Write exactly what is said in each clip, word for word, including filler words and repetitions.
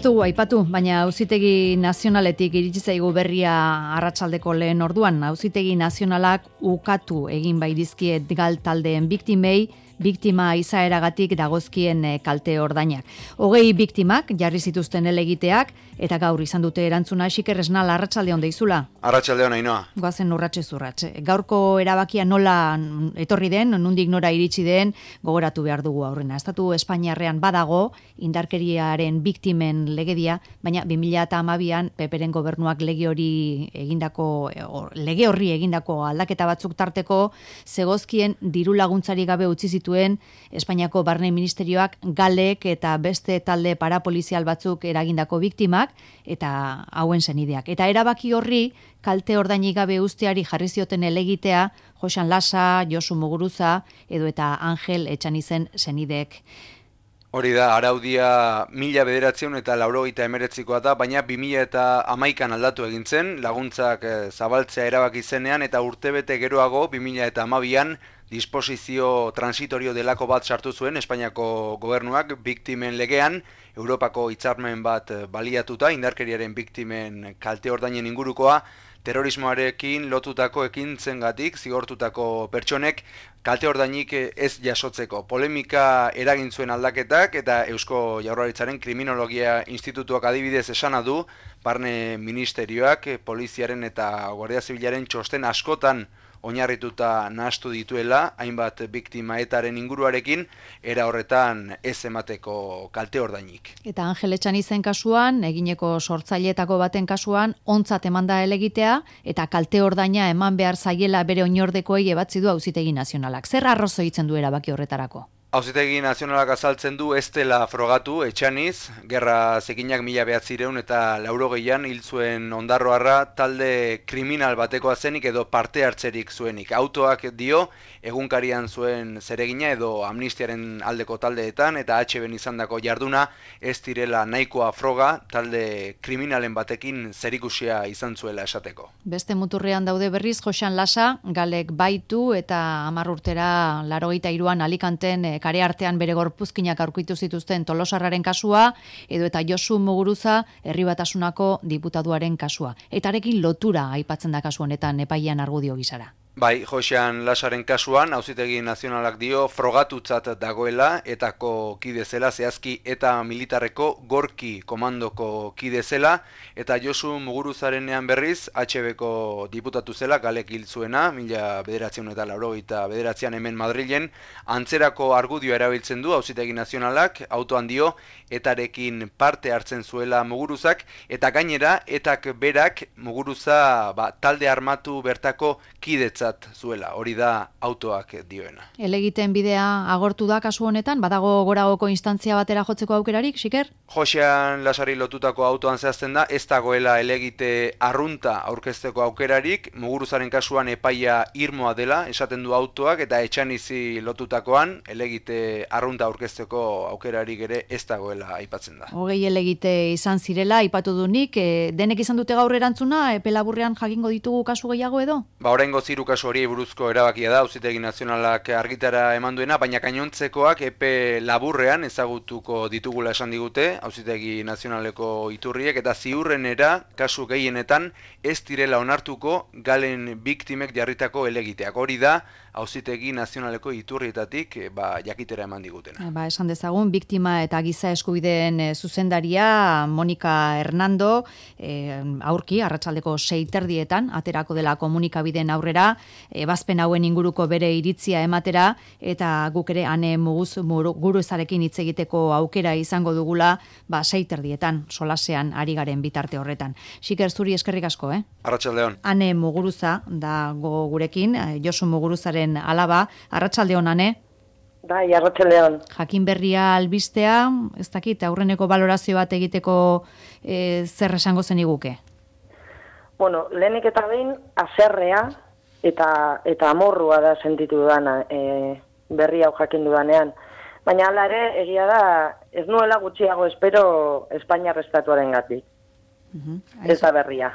dugu aipatu, baina Auzitegi Nazionaletik iritsi zaigu berria arratsaldeko lehen orduan. Auzitegi Nazionalak ukatu egin bai dizkie gal taldeen biktimei, biktima izaeragatik dagozkien kalte ordainak. Hogei biktimak jarri zituzten helegiteak eta gaur izan dute erantzuna. Xiker Esnal, arratsaldeon deizula. Arratsaldeon, Ainhoa. Goazen urratxe zurratxe. Gaurko erabakia nola etorri den, nondik nora iritsi den, gogoratu behar dugu aurrena. Estatu Espainiarrean badago indarkeriaren biktimen legedia, baina bi mila hamabian Peperen gobernuak lege hori egindako lege horri egindako aldaketa batzuk tarteko zegozkien diru laguntzari gabe utzi zituen Espainiako Barne Ministerioak galek eta beste talde parapolizial batzuk eragindako biktimak eta hauen senideak. Eta erabaki horri kalte ordainik gabe usteari jarri zioten helegitea Joxan Lasa, Josu Muguruza edo eta Angel Etxanizen senideek. Hori da, araudia mila bederatziehun eta laurogeita hemeretzikoa da, baina bi mila eta hamaikan aldatu egin zen, laguntzak zabaltzea erabaki zenean eta urtebete geroago bi mila eta hamabian disposizio transitorio delako bat sartu zuen Espainiako gobernuak biktimen legean, Europako hitzarmen bat baliatuta, indarkeriaren biktimen kalte ordainen ingurukoa, terrorismoarekin lotutako ekintzengatik zigortutako pertsonek kalte ordainik ez jasotzeko. Polemika eragin zuen aldaketak eta Eusko Jaurlaritzaren Kriminologia Institutuak adibidez esana du, Barne Ministerioak, Poliziaren eta Guardia Zibilaren txosten askotan oinarrituta nahastu dituela, hainbat biktima etaren inguruarekin, era horretan ez emateko kalte ordainik. Eta Angel Etxanizen kasuan, egineko sortzaileetako baten kasuan, ontzat emanda helegitea, eta kalte ordaina eman behar zaiela bere oinordekoei ebatzi du Auzitegi Nazionalak. Zer arrazoitzen du erabaki horretarako? Auzitegi Nazionalak azaltzen du ez dela frogatu Etxaniz, gerra zikinak mila behatzireun eta laurogeian hil zuen ondarroarra talde kriminal batekoa zenik edo parte hartzerik zuenik. Autoak dio egunkarian zuen zeregina edo amnistiaren aldeko taldeetan eta H Ben izandako jarduna ez direla nahikoa froga talde kriminalen batekin zerikusia izan zuela esateko. Beste muturrean daude berriz Joxan Lasa, galek baitu eta hamar urtera laurogeita hiruan Alicanten kare artean bere gorpuzkinak aurkitu zituzten Tolosarraren kasua, edo eta Josu Muguruza Herri Batasunako diputaduaren kasua. Eta arekin lotura aipatzen da kasu honetan epailean argudio gisara. Bai, Joxan Lasaren kasuan, Auzitegi Nazionalak dio frogatutzat dagoela etako kide zela, zehazki eta militarreko gorki komandoko kide zela, eta Josu Muguruzarenean berriz, H Bko diputatu zela, galek hil zuena, mila bederatziehun eta laurogeita bederatzian hemen Madrilen, antzerako argudioa erabiltzen du Auzitegi Nazionalak, autoan dio, etarekin parte hartzen zuela Muguruzak, eta gainera, etak berak Muguruza ba, talde armatu bertako kidetza zuela, hori da autoak dioena. Helegiten bidea agortu da kasu honetan, badago goragoko instantzia batera jotzeko aukerarik, Xiker? Joxean Lasari lotutako autoan zehazten da, ez dagoela helegite arrunta aurkezteko aukerarik, Muguruzaren kasuan epaia irmoa dela, esaten du autoak, eta Etxanizi lotutakoan, helegite arrunta aurkezteko aukerarik ere ez dagoela aipatzen da. Hogei helegite izan zirela, aipatu du nik, e, denek izan dute gaur erantzuna, epe laburrean jakingo ditugu kasu gehiago edo? Ba, oraingo ziru kasu hori buruzko erabakia da, Auzitegi Nazionalak argitara eman duena, baina gainontzekoak epe laburrean ezagutuko ditugula esan digute, Auzitegi Nazionaleko iturriek, eta ziurrenera kasu gehienetan ez direla onartuko galen biktimek jarritako helegiteak. Hori da, Auzitegi Nazionaleko iturrietatik ba, jakitera eman digutena. Ba, esan dezagun, biktima eta giza eskubideen e, zuzendaria Monika Hernando e, aurki, arratsaldeko sei terdietan, aterako dela komunikabideen aurrera, ebazpen hauen inguruko bere iritzia ematera, eta guk ere ane muguz Muguruzarekin hitz egiteko aukera izango dugula, ba, sei terdietan, solasean ari garen bitarte horretan. Xiker, zuri eskerrik asko, eh? Arratsaldeon. Ane Muguruza dago gurekin, Josu Muguruzaren alaba. Arratsaldeon, Ane? Bai, arratsaldeon. Jakin berria albistea, ez dakit, aurreneko balorazio bat egiteko e, zer esango zeniguke? Bueno, lehenik eta behin, haserrea eta eta amorrua da sentitu dana e, berri hau jakin dudanean. Baina hala ere, egia da, ez nuela gutxiago espero Espainiar estatuarengatik. Uh-huh. Ez da berria.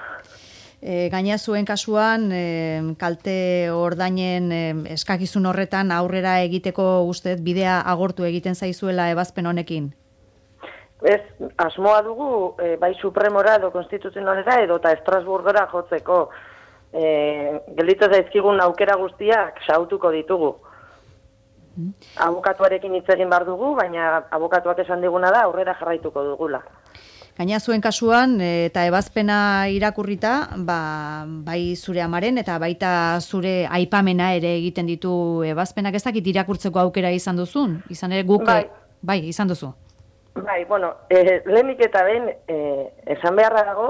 E, gaina zuen kasuan, e, kalte ordainen e, eskakizun horretan aurrera egiteko ustez bidea agortu egiten zaizuela ebazpen honekin? ez, asmoa dugu, e, bai Supremora edo Konstituzionalera edo eta Estrasburgora jotzeko. E, gelditu zaizkigun aukera guztiak sautuko ditugu. Mm. Abokatuarekin hitz egin behar dugu, baina abokatuak esan diguna da aurrera jarraituko dugula. Gaina zuen kasuan, eta ebazpena irakurrita, ba, bai zure amaren eta baita zure aipamena ere egiten ditu ebazpenak, ez dakit irakurtzeko aukera izan duzun? Izan ere guk, bai, bai izan duzu. Bai, bueno, e, lehenik eta ben, e, esan beharra dago,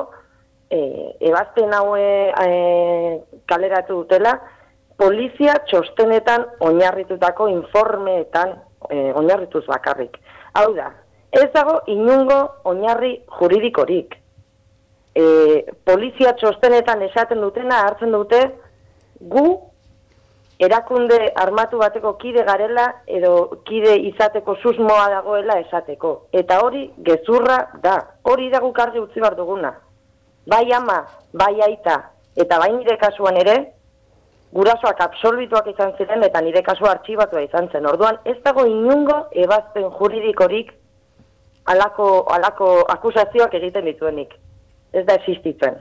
e, ebazpen haue e, kaleratu dutela, polizia txostenetan oinarritutako informeetan e, oinarrituz bakarrik. Hau da, ez dago inungo oinarri juridikorik. E, polizia txostenetan esaten dutena hartzen dute gu erakunde armatu bateko kide garela edo kide izateko susmoa dagoela esateko. Eta hori gezurra da. Hori da guk argi utzi behar duguna. Bai ama, bai aita, eta bai nire kasuan ere, gurasoak absolbituak izan ziren eta nire kasua artxibatua izan zen. Orduan, ez dago inungo ebazpen juridikorik alako, alako akusazioak egiten dituenik. Ez da existitzen.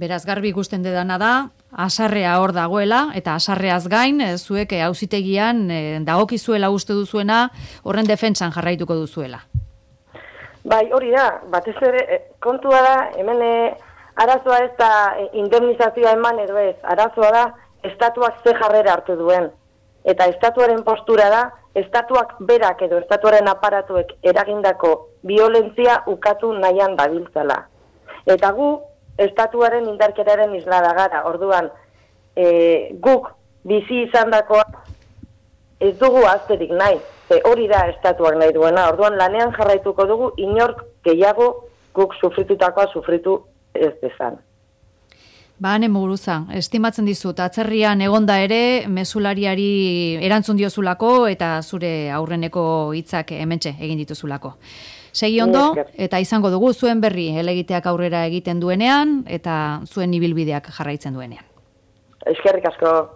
Beraz, garbi ikusten dedana da, asarrea hor dagoela, eta asarreaz gain, zuek auzitegian dagokizuela uste duzuena, horren defentsan jarraituko duzuela. Bai, hori da, batez ere, kontua da, hemen arazoa ez da indemnizazioa eman edo ez, arazoa da, estatuak ze jarrera hartu duen. Eta estatuaren postura da, estatuak berak edo estatuaren aparatuek eragindako violentzia ukatu nahian dabiltzala. Eta gu, estatuaren indarkeraren islada gara, orduan, e, guk bizi izandakoa ez dugu azterik nahi, ze hori da estatuak nahi duena, orduan lanean jarraituko dugu inork gehiago guk sufritutakoa sufritu ez dezan. Ba, Ane Muguruza, estimatzen dizut, atzerrian egonda ere, mezulariari erantzun diozulako eta zure aurreneko hitzak hementxe egin dituzulako. Segi ondo, eta izango dugu zuen berri helegiteak aurrera egiten duenean, eta zuen ibilbideak jarraitzen duenean. Eskerrik asko.